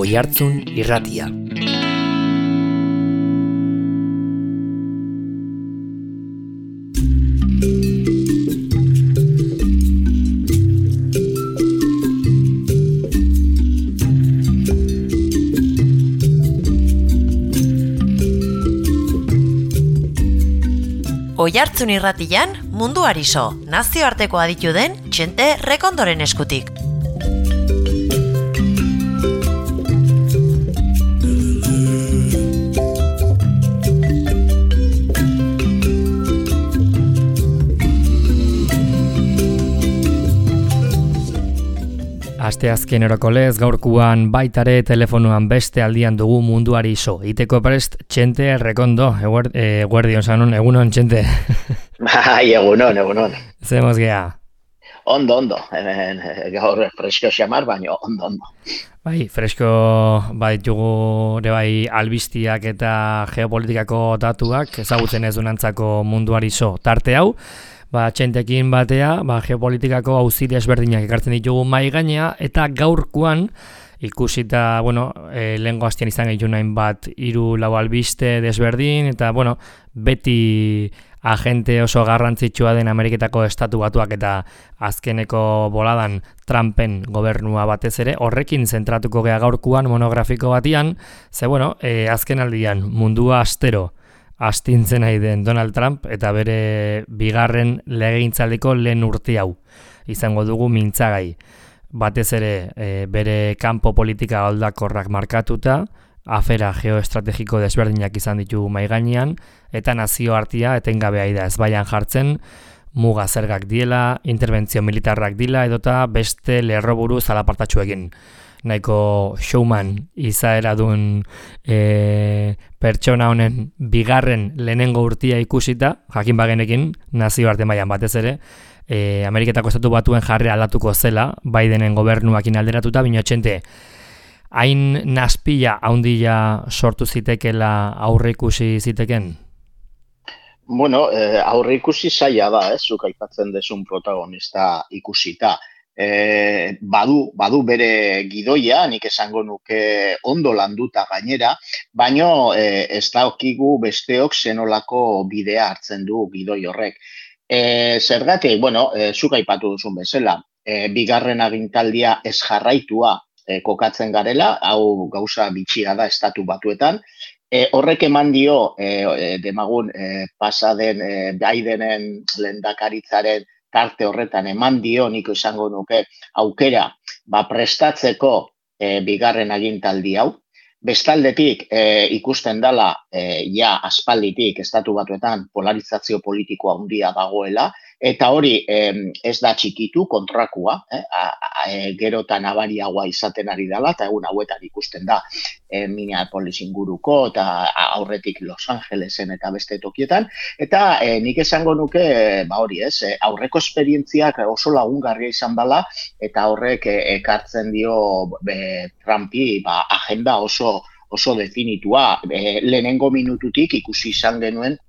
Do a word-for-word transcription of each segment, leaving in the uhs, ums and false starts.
Oihartzun Irratia. Oihartzun Irratian munduari so, nazioarteko aditu den Txente Rekondoren eskutik. Asteazken erokolez gaurkuan baitare telefonuan beste aldian dugu munduari so. Iteko prest Txente Rekondo, eguerdion zanon, egunon Txente. Bai, egunon, egunon. Zemos gea. Ondo, ondo. Hemen gaur fresko xamar, baina ondo, ondo. Bai, fresko baditugu ere bai albistiak eta geopolitikako datuak ezagutzen ez dunantzako munduari so. Tarte hau, ba, Txentekin batea, ba, geopolitikako auzide ezberdinak ekartzen ditugu mai gainea, eta gaurkoan ikusita, bueno, e, lehengo hastian izan gehiago nahin bat hiru lau albiste desberdin, eta, bueno, beti agente oso garrantzitsua den Ameriketako estatu batuak eta azkeneko boladan Trumpen gobernua batez ere, horrekin zentratuko gea gaurkoan monografiko batian, ze, bueno, e, azken aldian mundua astero astintzen nahi den Donald Trump eta bere bigarren legegintzaldiko lehen urte hau izango dugu mintzagai. Batez ere e, bere kanpo politika aldakorrak markatuta, afera geoestrategiko desberdinak izan ditu mahai gainean, eta nazioartea etengabea da ezbaian jartzen, muga zergak diela, interbentzio militarrak dila, edota beste lerroburu zalapartatxuekin. Nahiko showman izaera duen e, pertsona honen bigarren lehenengo urtia ikusita, jakin bagenekin nazioarte mailan batez ere, e, Ameriketako estatu batuen jarri aldatuko zela, Bidenen gobernuakin alderatuta, bino Txente, hain naspila haundila sortu zitekela aurre ikusi ziteken? Bueno, eh, aurre ikusi zaila da, ez, zuk aipatzen desun protagonista ikusita. E, badu, badu bere gidoia, nik esango nuke ondo landuta gainera, baino e, ez daukigu besteok zenolako bidea hartzen du gidoi horrek. E, zergatik, bueno, e, zuk aipatu duzun bezala, e, bigarren agintaldia ez jarraitua e, kokatzen garela, hau gauza bitxia da estatu batuetan, e, horrek eman dio, e, demagun, e, pasaden e, Bidenen lehendakaritzaren tarte horretan eman dio niko izango nuke aukera ba, prestatzeko e, bigarren agintaldi hau. Bestaldetik e, ikusten dela e, ja aspalditik estatu batuetan polarizazio politikoa handia dagoela, eta hori e, ez da txikitu kontrakua, eh? a, a, e, gero eta nabariagoa izaten ari dela, eta egun hauetan ikusten da e, Minneapolis inguruko, eta aurretik Los Angelesen eta beste tokietan, eta e, nik esango nuke, ba hori ez, e, aurreko esperientziak oso lagungarria izan dela, eta horrek e, ekartzen dio e, Trumpi ba, agenda oso oso definitua, e, lehenengo minututik ikusi izan genuen,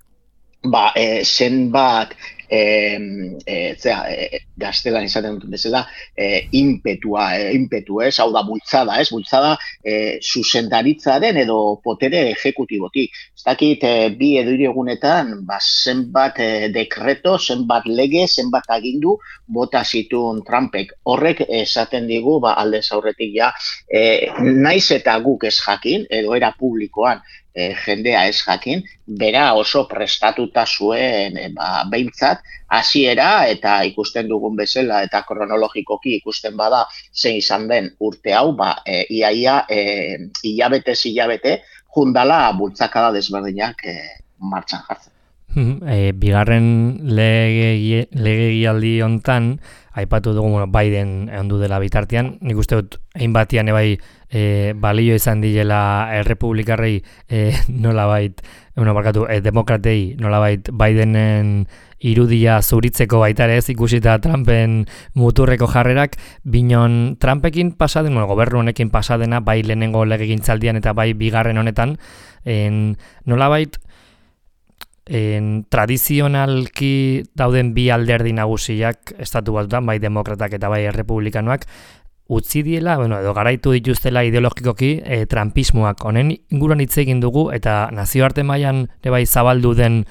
ba, e, zenbat e, e, zera, e, gaztelan izaten dut bezala, e, impetua, e, impetu ez, hau da bultzada, ez, bultzada e, zuzendaritzaren edo potere ejekutibotik. Ez dakit, e, bi edo hiru egunetan, ba, zenbat e, dekreto, zenbat lege, zenbat agindu, bota zituen Trumpek. Horrek esaten digu, ba, aldez aurretik ja, e, naiz eta guk ez jakin, edo era publikoan, E, jendea ez jakin, bera oso prestatuta zuen e, ba, behintzat, hasiera eta ikusten dugun bezala eta kronologikoki ikusten bada zein izan den urte hau, ba, e, iaia e, hilabete hilabete jundala bultzakada desberdinak e, martxan jartzen. E, bigarren lege, legegialdi hontan, aipatu dugu bueno, Biden ondu dela bitartean, nik uste dut hainbatian ebai e, balio izan dilela errepublikarrei e, nolabait, bueno, barkatu, e, demokratei nolabait Bidenen irudia zuritzeko baita ere ez ikusita Trumpen muturreko jarrerak, binon Trumpekin pasaden, bueno, gobernu honekin pasadena, bai lehenengo legegintzaldian eta bai bigarren honetan, en, nolabait En, tradizionalki dauden bi alderdi nagusiak estatu batutan, bai demokratak eta bai errepublikanoak, utzi diela, bueno, edo garaitu dituztela ideologikoki e, trumpismoak. Honen inguruan hitz egin dugu, eta nazioarte mailan ere bai zabaldu den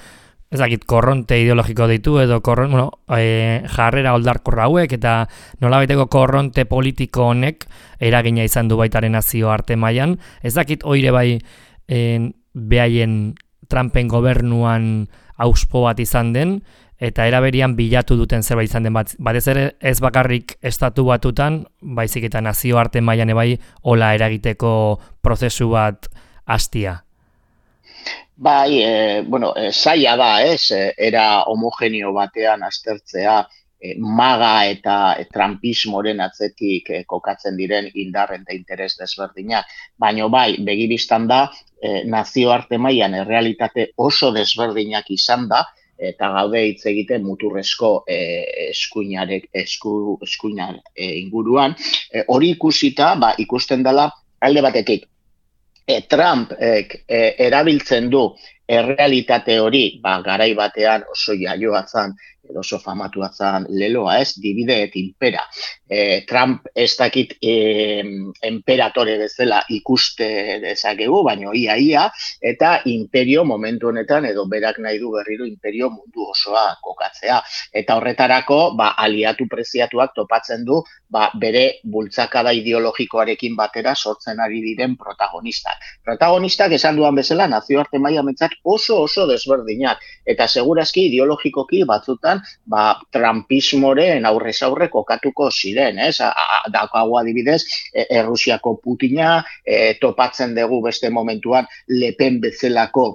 ez dakit, korronte ideologiko ditu edo korron, bueno, e, jarrera oldarkorra hauek eta nolabaiteko korronte politiko honek eragina izan du baitaren nazioarte mailan. Ez dakit oire bai en, behaien Trumpen gobernuan auspo bat izan den eta eraberian bilatu duten zerbait izan den bat. Batez ere ez bakarrik estatu batutan, baizik eta nazioarte mailan bai hola eragiteko prozesu bat hastia. Bai, e, bueno, e, zaila da, ez, e, era homogeneo batean aztertzea e, maga eta e, trumpismoren atzetik e, kokatzen diren indarren eta interes desberdinak. Baina bai, begibistan da, e, nazioarte mailan errealitate oso desberdinak izan da, eta gaude hitz egiten muturrezko e, eskuinarek, esku, eskuinar e, inguruan. E, hori ikusita, ba, ikusten dela alde batetik. E, Trump e, e, erabiltzen du errealitate hori, ba, garai batean oso jaioa zan, edo oso famatua zan leloa, ez, divide et impera. E, Trump ez dakit e, emperatore bezala ikuste dezakegu, baino ia-ia, eta imperio momentu honetan, edo berak nahi du berriro imperio mundu osoa kokatzea. Eta horretarako, ba, aliatu preziatuak topatzen du, ba, bere bultzakada ideologikoarekin batera sortzen ari diren protagonistak. Protagonistak esan duan bezala, nazioarte maila mentzat oso oso desberdinak, eta segurazki ideologikoki batzutan ba, trumpismoren aurrez aurre kokatuko ziren, ez? Daukagu adibidez, e, Errusiako Putina, e, topatzen dugu beste momentuan Le Pen bezalako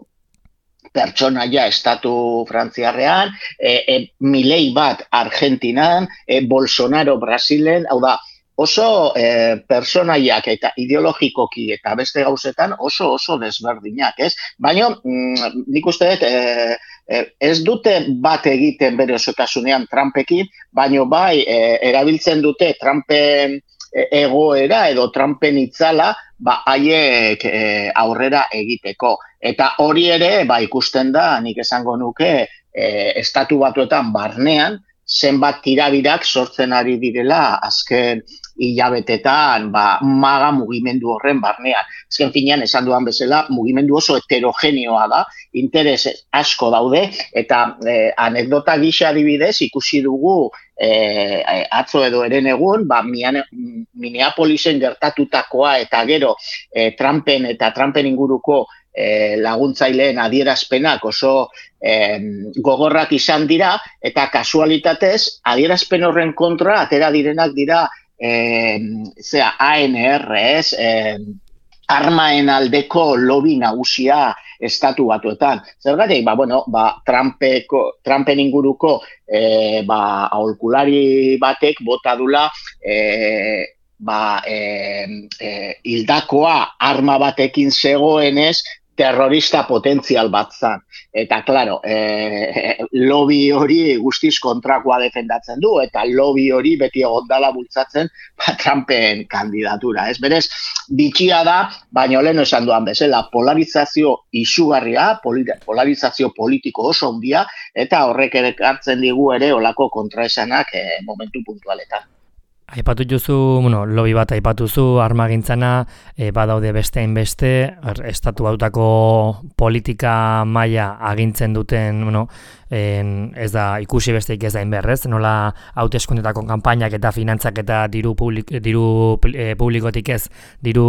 pertsonaia estatu frantziarrean, e, e, Milei bat Argentinan, e, Bolsonaro Brasilen, hau da, oso eh, personaiak eta ideologikoki eta beste gauzetan oso oso desberdinak, ez? Baina mm, nik uste dut eh, eh, ez dute bat egiten bere osotasunean Trumpekin, baina bai eh, erabiltzen dute Trumpen egoera edo Trumpen itzala ba haiek eh, aurrera egiteko. Eta hori ere ba ikusten da, nik esango nuke eh, estatu batuetan barnean zenbat tirabirak sortzen ari direla azken hilabetetan ba, maga mugimendu horren barnean. Azken finean, esan duan bezala, mugimendu oso heterogeneoa da, interes asko daude, eta eh, anekdota gisa adibidez ikusi dugu eh, atzo edo eren egun, ba, Minneapolisen gertatutakoa eta gero eh, Trumpen eta Trumpen inguruko E, laguntzaileen adierazpenak oso e, gogorrak izan dira, eta kasualitatez adierazpen horren kontra atera direnak dira e, zera, A N R, ez, e, armaen aldeko lobby nagusia estatu batuetan. Zergatik, ba, bueno, ba, Trumpeko, Trumpen inguruko e, ba, aholkulari batek bota dula e, ba, e, e, hildakoa arma batekin zegoenez terrorista potentzial bat zan. Eta, klaro, eh, lobby hori guztiz kontrakoa defendatzen du, eta lobby hori beti egondala bultzatzen ba, Trumpen kandidatura. Ez berez, bitxia da, baina lehen esan duan bezala, polarizazio izugarria, polarizazio politiko oso handia, eta horrek ere hartzen digu ere olako kontraesanak eh, momentu puntualetan. Aipatu duzu, bueno, lobby bat aipatuzu, armagintzana, e, badaude beste hainbeste, estatu bautako politika maila agintzen duten, bueno, en, ez da ikusi besteik ez da inberrez, nola hauteskundetako kanpainak eta finantzak eta diru, publik, diru e, publikotik ez, diru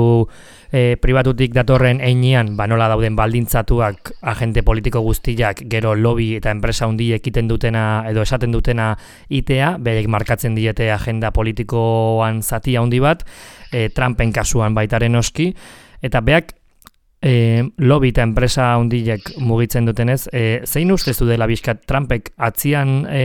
e, pribatutik datorren einean, ba, nola dauden baldintzatuak agente politiko guztiak gero lobby eta enpresa hundiek egiten dutena edo esaten dutena itea, berek markatzen diete agenda politikoan zati handi bat, e, Trumpen kasuan baitaren oski, eta beak E, lobby eta enpresa handiek mugitzen dutenez, e, zein ustezu dela bizkat Trumpek atzian e,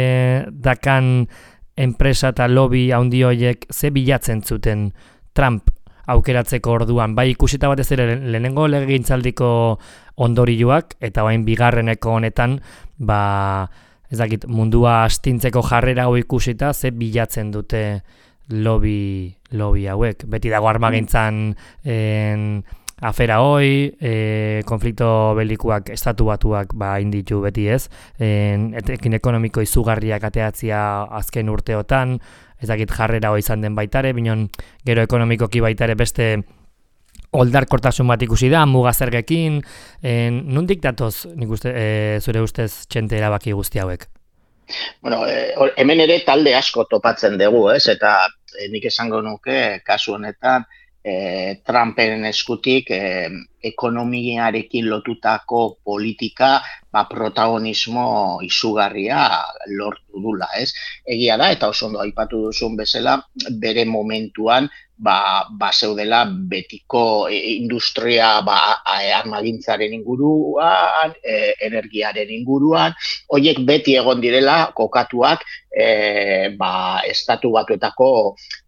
dakan enpresa eta lobby handi horiek ze bilatzen zuten Trump aukeratzeko orduan, bai ikusita batez ere lehenengo legegintzaldiko ondorioak eta orain bigarreneko honetan, ba ez dakit mundua astintzeko jarrera hau ikusita ze bilatzen dute lobby lobby hauek. Beti dago armagintzan en afera hoi, e, konflikto belikuak estatu batuak ba inditu beti ez, en, etekin ekonomiko izugarriak ateatzia azken urteotan, ez dakit jarrera hoi izan den baitare, binon gero ekonomikoki baitare beste oldarkortasun bat ikusi da, mugazergekin, en, nondik datoz nik uste, e, zure ustez txente erabaki guzti hauek? Bueno, eh, hemen ere talde asko topatzen dugu, ez? Eta eh, nik esango nuke, kasu honetan, eh, Trumpen eskutik eh, ekonomiarekin lotutako politika ba, protagonismo izugarria lortu dula, ez? Egia da, eta oso ondo aipatu duzun bezala, bere momentuan ba, ba zeudela betiko industria ba, armagintzaren inguruan, e, energiaren inguruan, horiek beti egon direla kokatuak e, ba, estatu batuetako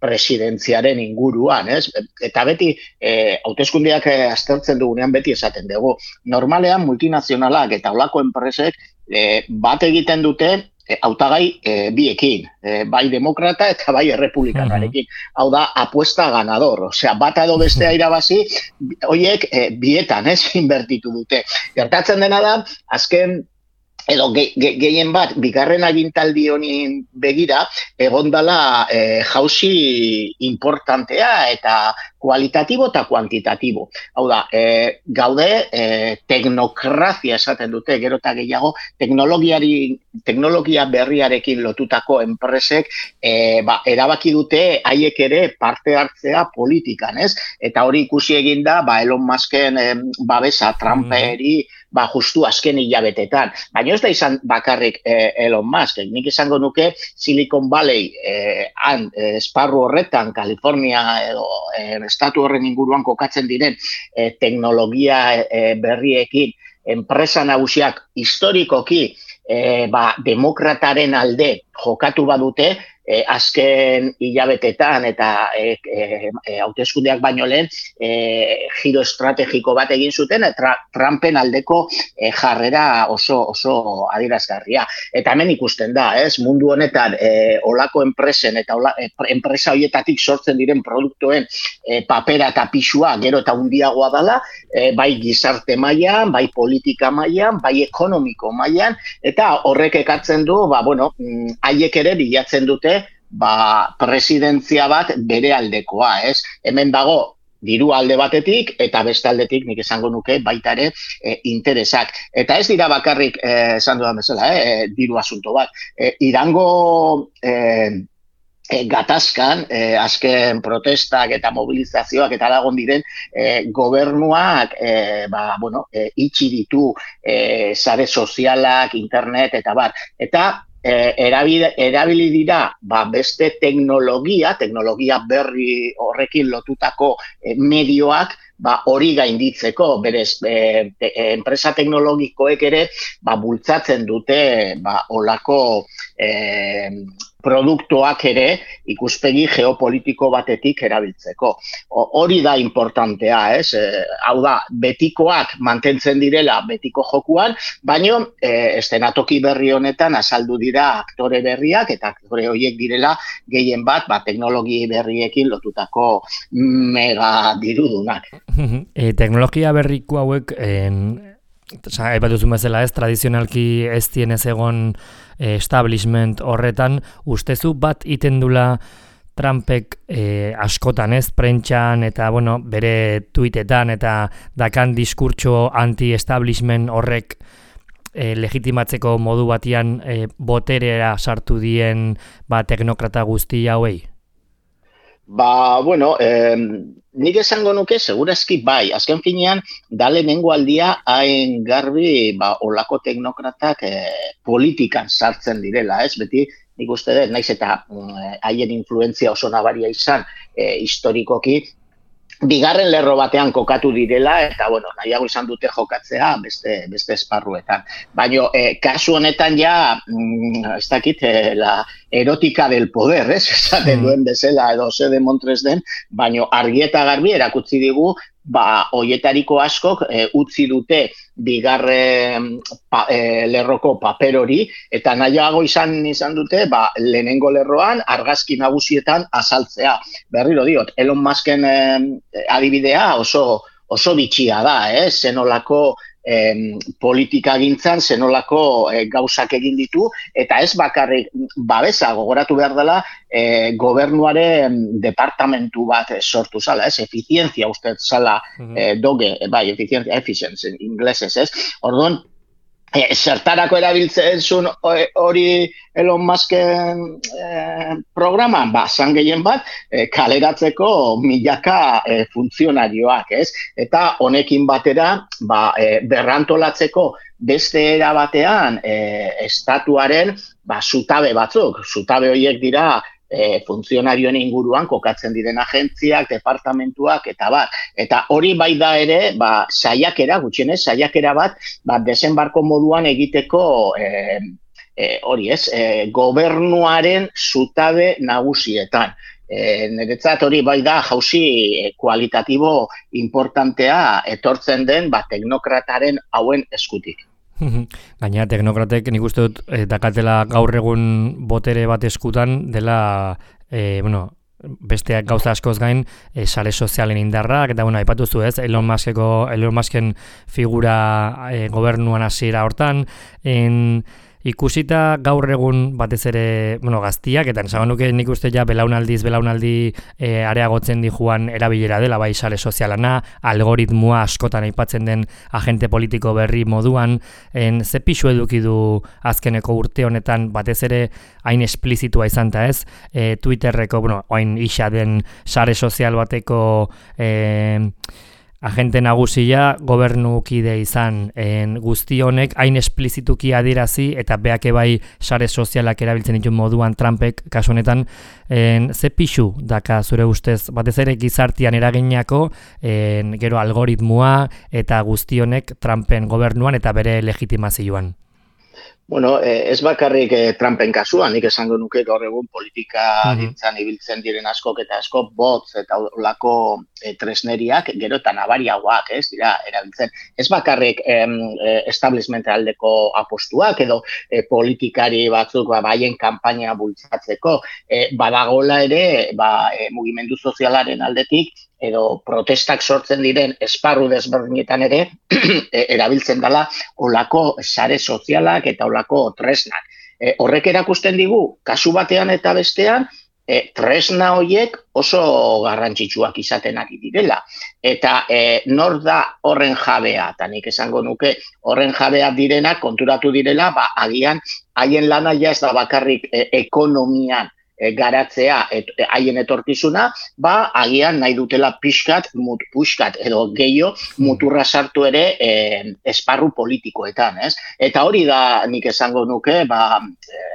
presidentziaren inguruan, ez? Eta beti, e, hauteskundeak aztertzen dugunean beti esaten dugu. Normalean multinazionalak eta olako enpresek e, bat egiten dute E, hautagai e, biekin, e, bai demokrata eta bai errepublikanarekin. Hau da, apuesta ganador. Osea, bata edo bestea irabazi, horiek e, bietan, ez, inbertitu dute. Gertatzen dena da, azken edo ge, ge, gehien bat, bigarren agintaldi honin begira, egondala e, jauzi importantea eta kualitatibo eta kuantitatibo. Hau da, e, gaude e, teknokrazia esaten dute, gero eta gehiago, teknologiari, teknologia berriarekin lotutako enpresek e, ba, erabaki dute haiek ere parte hartzea politikan, ez? Eta hori ikusi egin da, ba, Elon Musken e, babesa Trumperi, ba, justu azken hilabetetan. Baina ez da izan bakarrik eh, Elon Musk. Nik izango nuke Silicon Valley eh, han, eh, esparru horretan, California edo eh, estatu horren inguruan kokatzen diren eh, teknologia eh, berriekin, enpresa nagusiak historikoki eh, ba, demokrataren alde jokatu badute, E, azken hilabetetan eta e, e, e, hauteskundeak baino lehen e, giro estrategiko bat egin zuten eta Trumpen aldeko e, jarrera oso oso adierazgarria. Eta hemen ikusten da, ez, mundu honetan e, olako enpresen eta ola, e, enpresa horietatik sortzen diren produktuen e, papera eta pisua gero eta handiagoa dela, e, bai gizarte mailan, bai politika mailan, bai ekonomiko mailan, eta horrek ekartzen du, ba, bueno, haiek ere bilatzen dute ba, presidentzia bat bere aldekoa, ez? Hemen dago diru alde batetik eta beste aldetik nik esango nuke baita ere e, interesak. Eta ez dira bakarrik, eh, esan dudan bezala, eh, diru asunto bat. E, Irango eh, e, gatazkan, eh, azken protestak eta mobilizazioak eta lagon diren eh, gobernuak eh, ba, bueno, eh, itxi ditu eh, sare sozialak, internet eta bar. Eta E, erabili, erabili dira ba, beste teknologia, teknologia berri horrekin lotutako e, medioak ba, hori gainditzeko, berez, e, te, e, enpresa teknologikoek ere ba, bultzatzen dute ba, olako e, produktuak ere ikuspegi geopolitiko batetik erabiltzeko. O, hori da importantea, ez? E, hau da, betikoak mantentzen direla betiko jokuan, baino e, estenatoki berri honetan azaldu dira aktore berriak eta aktore horiek direla gehien bat, ba, teknologi berriekin lotutako mega dirudunak. E, teknologia berriko hauek en... Aipatu zuen bezala ez, tradizionalki ez dienez egon eh, establishment horretan, ustezu bat iten dula Trumpek eh, askotan ez, prentxan eta bueno, bere tuitetan eta dakan diskurtso anti-establishment horrek eh, legitimatzeko modu batian eh, boterera sartu dien ba, teknokrata guzti hauei? Ba, bueno, eh, nik esango nuke, segurazki bai, azken finean, da lehenengo aldia hain garbi ba, olako teknokratak eh, politikan sartzen direla, ez? Beti, nik uste dut, naiz eta haien influentzia oso nabaria izan eh, historikoki, bigarren lerro batean kokatu direla, eta, bueno, nahiago izan dute jokatzea beste, beste esparruetan. Baina, eh, kasu honetan ja, mm, ez dakit, eh, la erotika del poder, ez? Esaten duen bezala edo ze de Montres den, baina argi eta garbi erakutsi digu, ba, hoietariko askok e, utzi dute bigarren pa, e, lerroko paper hori, eta nahiago izan izan dute, ba, lehenengo lerroan argazki nagusietan azaltzea. Berriro diot, Elon Musken e, adibidea oso oso bitxia da, eh? Zenolako eh, politika gintzan, zenolako eh, gauzak egin ditu, eta ez bakarrik babesa gogoratu behar dela eh, gobernuaren departamentu bat sortu zala, ez? Efizientzia uste zala eh, doge, bai, efizientzia, efficiency, inglesez, ez? Orduan, E, zertarako erabiltzen zuen hori Elon Musken e, programan, ba, zan gehien bat, e, kaleratzeko milaka e, funtzionarioak, ez? Eta honekin batera, ba, e, berrantolatzeko beste era batean e, estatuaren ba, zutabe batzuk, zutabe horiek dira E, funtzionarioen inguruan kokatzen diren agentziak, departamentuak eta bat. Eta hori bai da ere, ba, saiakera, gutxienez, saiakera bat, ba, desenbarko moduan egiteko e, e, hori ez, e, gobernuaren zutabe nagusietan. E, niretzat hori bai da jauzi kualitatibo importantea etortzen den ba, teknokrataren hauen eskutik. Gainera, teknokratek nik uste dut eh, dakatela gaur egun botere bat eskutan dela, eh, bueno, besteak gauza askoz gain, eh, sare sozialen indarrak, eta bueno, aipatu zu ez, Elon Muskeko, Elon Musken figura eh, gobernuan hasiera hortan, en, ikusita gaur egun batez ere, bueno, gaztiak, eta esan nuke nik uste ja belaunaldiz, belaunaldi e, areagotzen di joan erabilera dela, bai sare sozialana, algoritmoa askotan aipatzen den agente politiko berri moduan, en, ze pixu eduki du azkeneko urte honetan, batez ere hain esplizitua izan ta ez, e, Twitterreko, bueno, hain isa den sare sozial bateko e, agente nagusia gobernukide izan en, guzti honek hain esplizituki adierazi eta beake bai sare sozialak erabiltzen ditu moduan Trumpek kasu honetan en, ze pixu daka zure ustez batez ere gizartian eraginako en, gero algoritmoa eta guzti honek Trumpen gobernuan eta bere legitimazioan. Bueno, eh, ez bakarrik eh, Trumpen kasuan, nik esango nuke gaur egun politika gintzan ibiltzen diren askok eta askok botz eta olako eh, tresneriak gero eta nabariagoak, ez dira, erabiltzen. Ez bakarrik eh, establishment aldeko apostuak edo eh, politikari batzuk ba, baien kanpaina bultzatzeko, eh, badagola ere ba, eh, mugimendu sozialaren aldetik edo protestak sortzen diren esparru desberdinetan ere erabiltzen dela olako sare sozialak eta olako tresnak. E, horrek erakusten digu, kasu batean eta bestean, e, tresna horiek oso garrantzitsuak izaten ari direla. Eta e, nor da horren jabea, eta nik esango nuke horren jabea direnak konturatu direla, ba, agian haien lana ja ez da bakarrik e, ekonomian, garatzea haien etorkizuna, ba, agian nahi dutela pixkat, mut, puxkat edo gehiago muturra sartu ere e, esparru politikoetan, ez? Eta hori da nik esango nuke, ba, e,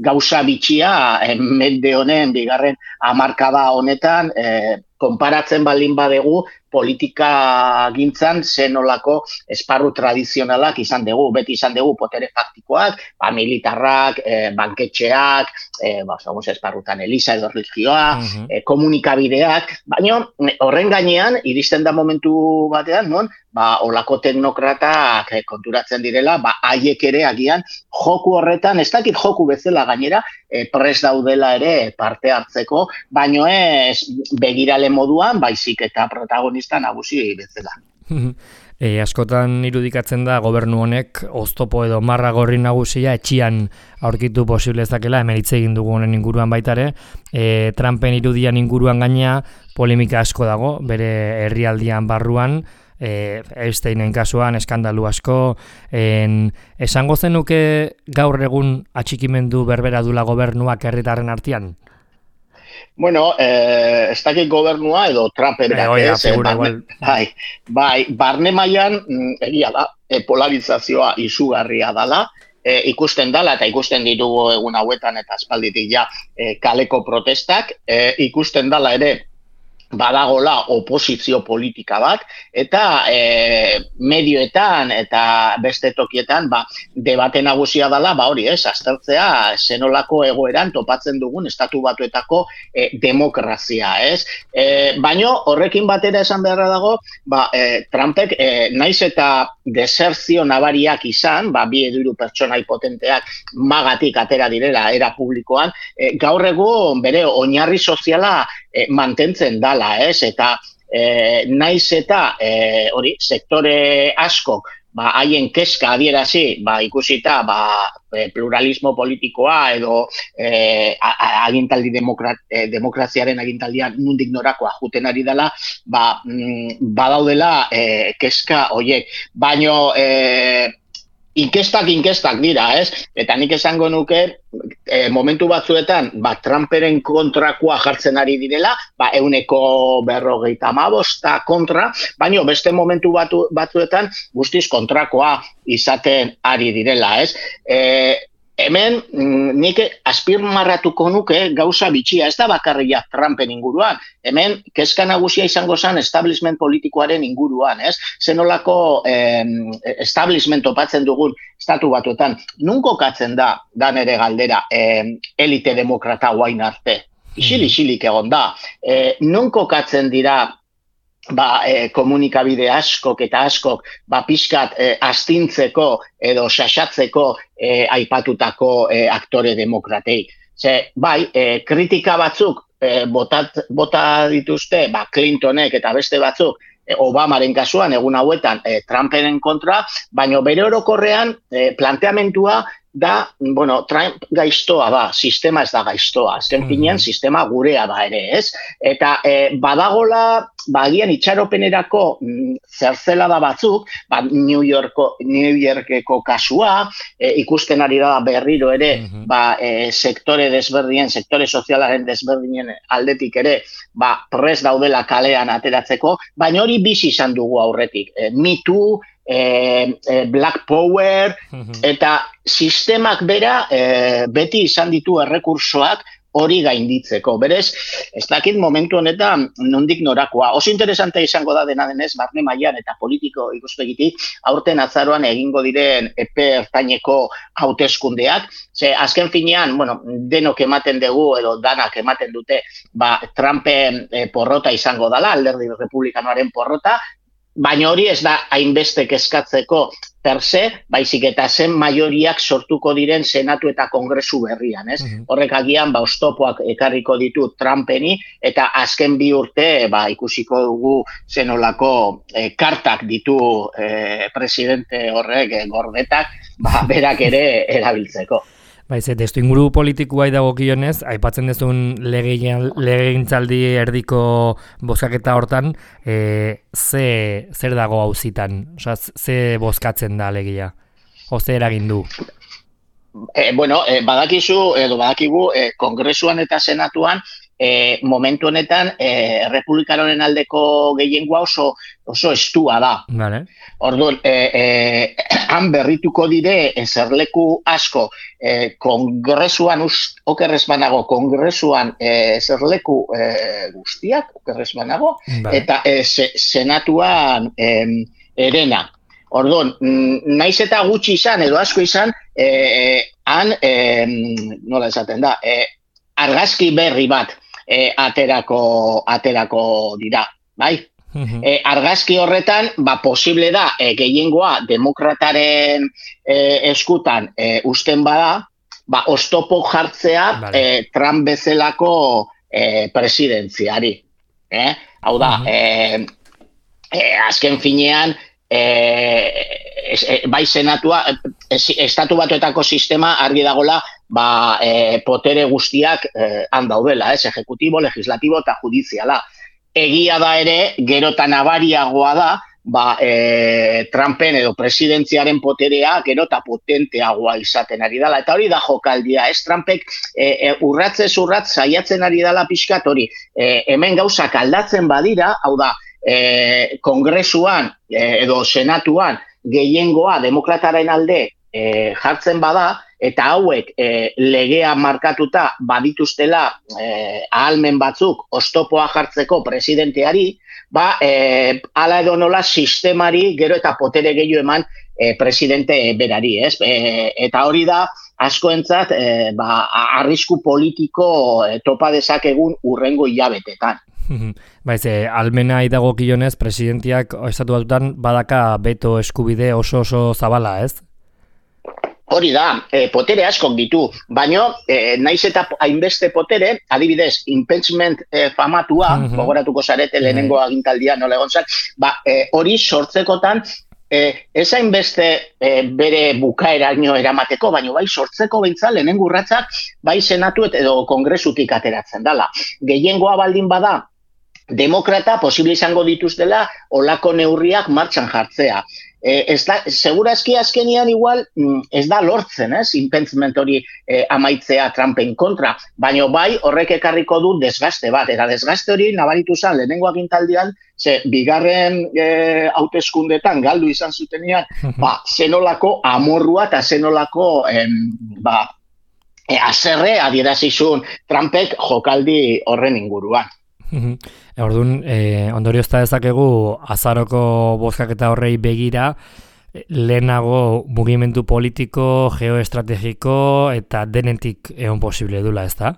gauza bitxia, e, mende honen, bigarren hamarkada honetan, e, konparatzen baldin badegu, politika gintzan zenolako esparru tradizionalak izan dugu, beti izan dugu potere faktikoak, ba, militarrak, e, banketxeak, e, ba, esparrutan Elisa edo religioa, uh-huh. e, komunikabideak, baina horren gainean, iristen da momentu batean, non, ba, olako teknokratak e, konturatzen direla, ba, haiek ere agian joku horretan, ez dakit joku bezala gainera, e, pres daudela ere parte hartzeko, baina ez begirale moduan, baizik eta protagonista nagusi bezala. E, askotan irudikatzen da gobernu honek oztopo edo marra gorri nagusia etxian aurkitu posible ezakela, hemen hitz egin dugu honen inguruan baitare, e, Trumpen irudian inguruan gaina polemika asko dago, bere herrialdian barruan, e, Epsteinen kasuan eskandalu asko, en, esango zenuke gaur egun atxikimendu berbera dula gobernuak herritarren artean? Bueno, eh, ez dakit gobernua edo Trumpen eh, oia, ez, barne, bai, bai, barne mailan egia da, e, polarizazioa izugarria dala, e, ikusten dala eta ikusten ditugu egun hauetan eta aspalditik ja e, kaleko protestak, e, ikusten dala ere badagola oposizio politika bat, eta e, medioetan eta beste tokietan ba, debate nagusia dela, ba hori ez, aztertzea zenolako egoeran topatzen dugun estatu batuetako e, demokrazia, ez? E, baino horrekin batera esan beharra dago, ba, e, Trumpek e, naiz eta desertzio nabariak izan, ba, bi edo hiru pertsonai potenteak magatik atera direla era publikoan, e, gaur egun bere oinarri soziala e, mantentzen dala, ez? Eta e, naiz eta e, hori sektore askok ba haien kezka adierazi, ba ikusita ba pluralismo politikoa edo eh, agintaldi demokrat, eh, demokraziaren agintaldian nundik norakoa juten ari dela, ba mm, badaudela eh, kezka hoiek. Baino eh, inkestak inkestak dira, ez? Eta nik esango nuke e, momentu batzuetan, ba, Trumperen kontrakoa jartzen ari direla, ba, euneko berrogeita hamabosta kontra, baina beste momentu batu, batzuetan guztiz kontrakoa izaten ari direla, ez? E, hemen nik azpimarratuko nuke gauza bitxia, ez da bakarria Trumpen inguruan, hemen kezka nagusia izango zen establishment politikoaren inguruan, ez? Zenolako eh, establishment topatzen dugun estatu batuetan, nun kokatzen da, da nere galdera, eh, elite demokrata guain arte, isil-isilik egon da, eh, nun kokatzen dira ba, e, komunikabide askok eta askok ba, pixkat e, astintzeko edo sasatzeko e, aipatutako e, aktore demokratei. Ze, bai, e, kritika batzuk e, botat, bota dituzte ba, Clintonek eta beste batzuk e, Obamaren kasuan, egun hauetan e, Trumpenen kontra, baina bere orokorrean e, planteamentua da, bueno, Trump gaiztoa da, sistema ez da gaiztoa, azken finean sistema gurea da ere, ez? Eta e, badagola, bagian itxaropenerako mm, zertzela da batzuk, ba, New Yorko, New Yorkeko kasua, e, ikusten ari da berriro ere, uh-huh. ba, e, sektore desberdinen, sektore sozialaren desberdinen aldetik ere, ba, pres daudela kalean ateratzeko, baina hori bizi izan dugu aurretik. E, Me Too, E, e, Black Power, uh-huh. eta sistemak bera e, beti izan ditu errekursoak hori gainditzeko. Berez, ez dakit momentu honetan nondik norakoa. Oso interesante izango da dena denez, barne mailan eta politiko ikuspegitik, aurten azaroan egingo diren epe ertaineko hauteskundeak. Ze, azken finean, bueno, denok ematen dugu edo danak ematen dute, ba, Trumpen e, porrota izango dala, alderdi republikanoaren porrota, baina hori ez da hainbeste kezkatzeko per se, baizik eta zen maioriak sortuko diren senatu eta kongresu berrian, ez? Uh-huh. Horrek agian, ba, oztopoak ekarriko ditu Trumpeni, eta azken bi urte, ba, ikusiko dugu zenolako eh, kartak ditu eh, presidente horrek eh, gordetak, ba, berak ere erabiltzeko. Baiz, testu inguru politikoa dagokionez, aipatzen duzun legegintzaldi erdiko bozkaketa hortan, e, ze, zer dago auzitan? Osea, ze bozkatzen da legia? O ze eragin du? E, bueno, e, badakizu, edo badakigu, e, kongresuan eta senatuan, E, momentu honetan e, republikanoren aldeko gehiengoa oso oso estua da. Vale. Orduan, e, e, han berrituko dire eserleku asko e, kongresuan, okerrez banago, kongresuan e, eserleku e, guztiak, okerrez banago, vale. Eta e, se, senatuan e, erena. Orduan, naiz eta gutxi izan, edo asko izan, e, han, e, nola esaten da, e, argazki berri bat E, aterako, aterako dira, bai? Uh-huh. E, argazki horretan, ba, posible da, e, gehiengoa demokrataren e, eskutan e, usten bada, ba, oztopo jartzea vale. e, Trump bezalako e, presidentziari. Eh? Hau da, uh-huh. e, e, azken finean, e, es, e, bai senatua, e, estatu batuetako sistema argi dagola, ba, e, potere guztiak e, han daudela, ez, ejecutibo, legislatibo eta judiziala. Egia da ere, gero eta nabariagoa da, ba, e, Trumpen edo presidentziaren poterea gero eta potenteagoa izaten ari dela. Eta hori da jokaldia, ez, Trumpek e, e, urratzez urratz saiatzen ari dela pixkat hori. E, hemen gauzak aldatzen badira, hau da, e, kongresuan e, edo senatuan gehiengoa demokrataren alde e, jartzen bada, eta hauek e, legea markatuta badituztela e, ahalmen batzuk oztopoa jartzeko presidenteari, ba, e, ala edo nola sistemari gero eta potere gehiago eman e, presidente berari, ez? E, eta hori da, askoentzat, e, ba, arrisku politiko e, topa dezakegun urrengo hilabetetan. Baiz, e, almena idagokionez, presidentiak estatu batutan badaka beto eskubide oso oso zabala, ez? Hori da, e, potere askok ditu, baino, e, naiz eta hainbeste potere, adibidez, impeachment e, famatua, mm-hmm. gogoratuko zarete lehenengo mm-hmm. agintaldia nola egon zan, ba, e, hori sortzekotan, e, ez hainbeste e, bere bukaeraino eramateko, baino bai sortzeko behintzat lehenengo urratsak, bai senatu edo kongresutik ateratzen dala. Gehiengoa baldin bada, demokrata posible izango dituztela olako neurriak martxan jartzea. Eh, ez da, segurazki azkenian igual ez da lortzen, ez, impeachment hori eh, amaitzea Trumpen kontra, baina bai horrek ekarriko du desgaste bat, eta desgaste hori nabaritu zen lehenengo agintaldian, ze bigarren eh, hauteskundetan galdu izan zutenean, ba, zenolako amorrua eta zenolako eh, ba, eh, azerre adierazizun Trumpek jokaldi horren inguruan. Orduan, eh, ondorio ez da dezakegu azaroko bozkak eta horrei begira, lehenago mugimendu politiko, geoestrategiko eta denetik egon posible dula, ez da?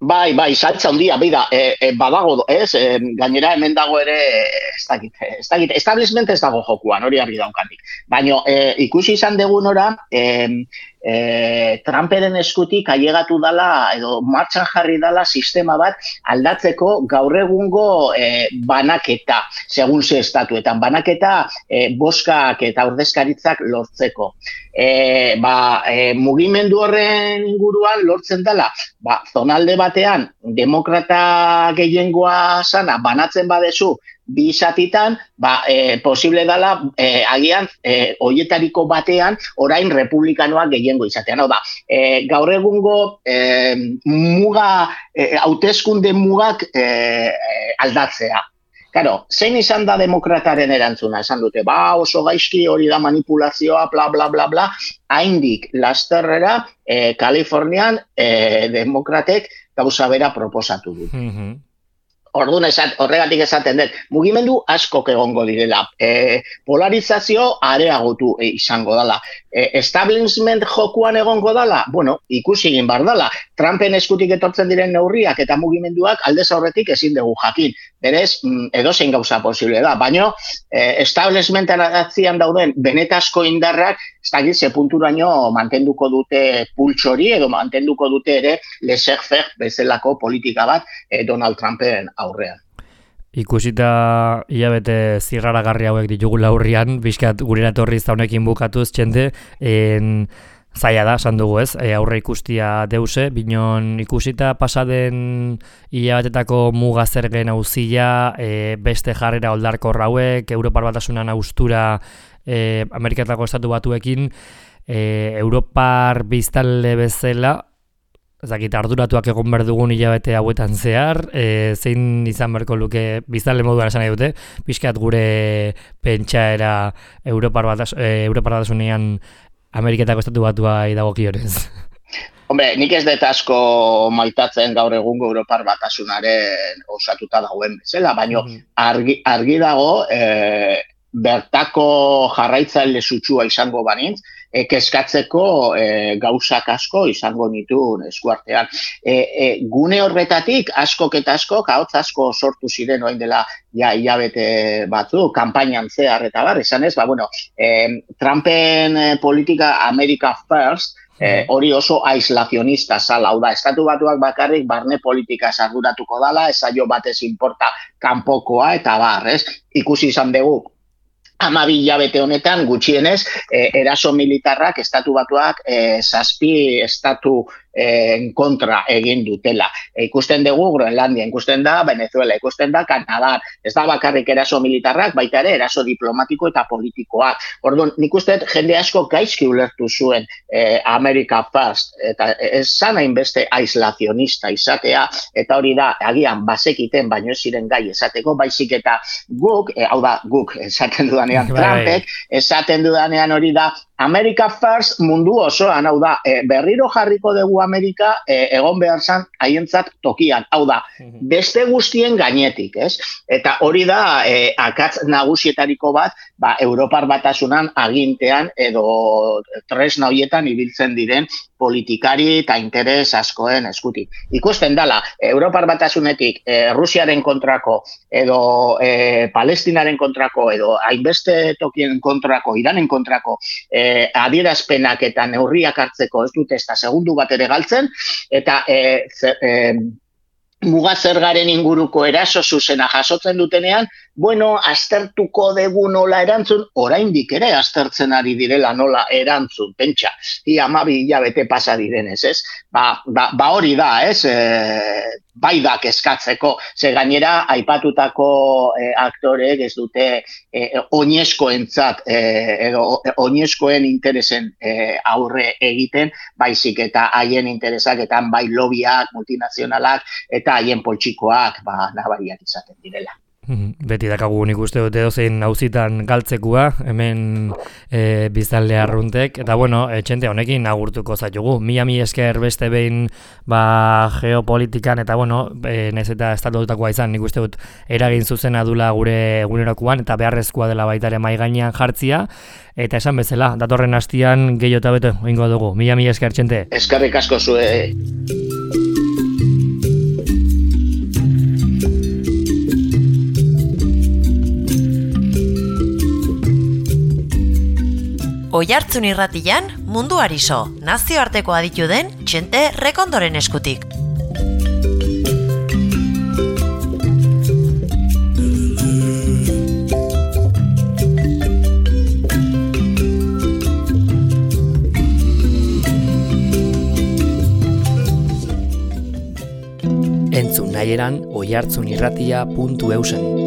Bai, bai, saltza handia, bida, e, e, badago, ez, e, gainera hemen dago ere, ez dakit, ez dakit, establishment ez dago jokuan, hori argi daukanik. Baina e, ikusi izan degun ora, e, e, Trumperen eskutik ailegatu dala, edo martxan jarri dala sistema bat aldatzeko gaur egungo e, banaketa, segun ze estatuetan, banaketa e, boskak eta ordezkaritzak lortzeko. E, ba, e, mugimendu horren inguruan lortzen dela, ba, zonalde batean demokrata gehiengoa sana banatzen badezu bi zatitan, ba, e, posible dela e, agian e, hoietariko batean orain republikanoak gehiengo izatean. Hau da, e, gaur egungo e, muga, e, hauteskunde mugak e, e, aldatzea. Claro, zein izan da demokrataren erantzuna, esan dute, ba, oso gaizki hori da manipulazioa, bla, bla, bla, bla, haindik lasterrera, eh, Kalifornian eh, demokratek gauza bera proposatu dut. Mm-hmm. Orduan, esat, horregatik esaten dut, mugimendu askok egongo direla, e, polarizazio areagotu e, izango dela. E, establishment jokuan egongo dela, bueno, ikusi egin bar dela. Trumpen eskutik etortzen diren neurriak eta mugimenduak aldez aurretik ezin dugu jakin. Berez, edozein gauza posible da, baina e, establishmentan atzian dauden benetazko indarrak, ez dakit ze punturaino mantenduko dute pultsori edo mantenduko dute ere laissez-faire bezalako politika bat e, Donald Trumpen aurrean. Ikusita hilabete zirraragarri hauek ditugula aurrian, bizkat gurera etorri zaunekin bukatuz txente, en, zaila da, esan dugu ez, e, aurre ikustia deuse, binon ikusita pasaden hilabetetako muga zergen auzia, e, beste jarrera oldarkor hauek, Europar Batasunan austura e, Ameriketako estatu batuekin, e, Europar biztanle bezala, ezakit, arduratuak egon behar dugun hilabete hauetan zehar, e, zein izan beharko luke biztanle moduan esan nahi dute, pixkat gure pentsaera Europar Batas, e, Europar Batasunean Ameriketako estatu batua idagokionez. Hombre, nik ez dut asko maitatzen gaur egungo Europar Batasunaren osatuta dagoen bezala, baina argi, argi dago e, bertako jarraitzaile sutsua izango banintz, e, keskatzeko e, gauzak asko izango nituen eskuartean. E, e, gune horretatik askok eta askok, ahotz asko sortu ziren orain dela ja hilabete batzu, kanpainan zehar eta bar, esan ez, ba, bueno, e, Trumpen e, politika America First, Eh, hori oso aislazionista zala, hau da, estatu batuak bakarrik barne politika arduratuko dala, esaio batez inporta kanpokoa eta bar, ez? Ikusi izan dugu, hamabi hilabete honetan gutxienez, eh, eraso militarrak estatu batuak eh, zazpi estatu en kontra egin dutela. E, ikusten dugu Groenlandia, ikusten da Venezuela, ikusten da Kanada, ez da bakarrik eraso militarrak, baita ere eraso diplomatiko eta politikoak. Orduan, nik uste jende asko gaizki ulertu zuen eh, America First, eta ez zan hainbeste aislazionista izatea, eta hori da, agian basekiten, baino ez ziren gai esateko, baizik eta guk, eh, hau da, guk esaten dudanean Trumpek, esaten dudanean hori da, America First mundu osoan, hau da, e, berriro jarriko dugu Amerika e, egon behar zan haientzat tokian, hau da, beste guztien gainetik, ez? Eta hori da, e, akatz nagusietariko bat, ba, Europar Batasunan agintean edo tresna horietan ibiltzen diren politikari eta interes askoen eskutik. Ikusten dala, Europar Batasunetik e, Rusiaren kontrako edo e, Palestinaren kontrako edo hainbeste tokien kontrako, Iranen kontrako e, adierazpenak eta neurriak hartzeko ez dute ezta segundu bat ere galtzen, eta e, ze, e, muga zergaren inguruko eraso zuzena jasotzen dutenean, bueno, aztertuko dugu nola erantzun, oraindik ere aztertzen ari direla nola erantzun, pentsa, hi hamabi hilabete pasa direnez, ez? Ba, ba, ba hori da, ez? E, bai da kezkatzeko, ze gainera aipatutako e, aktoreek ez dute e, oinezkoentzat e, edo oinezkoen interesen e, aurre egiten, baizik eta haien interesak eta bai lobiak, multinazionalak eta haien poltsikoak ba, nabariak izaten direla. Beti dakagu nik uste dute dozein auzitan galtzekua, hemen e, biztanle arruntek, eta bueno, e, txente honekin agurtuko zaitugu. Mila mi esker beste behin ba, geopolitikan, eta bueno, e, nez eta estatututakoa izan, nik uste dut eragin zuzena dula gure egunerokoan, eta beharrezkoa dela baita ere mahai gainean jartzia, eta esan bezala, datorren hastian gehiago eta beto egingo dugu. Mila mi esker, txente. Eskerrik asko zue. Oihartzun irratian, munduari so, nazioarteko aditu den Txente Rekondoren eskutik. Entzun nahieran oihartzunirratia puntu eusen.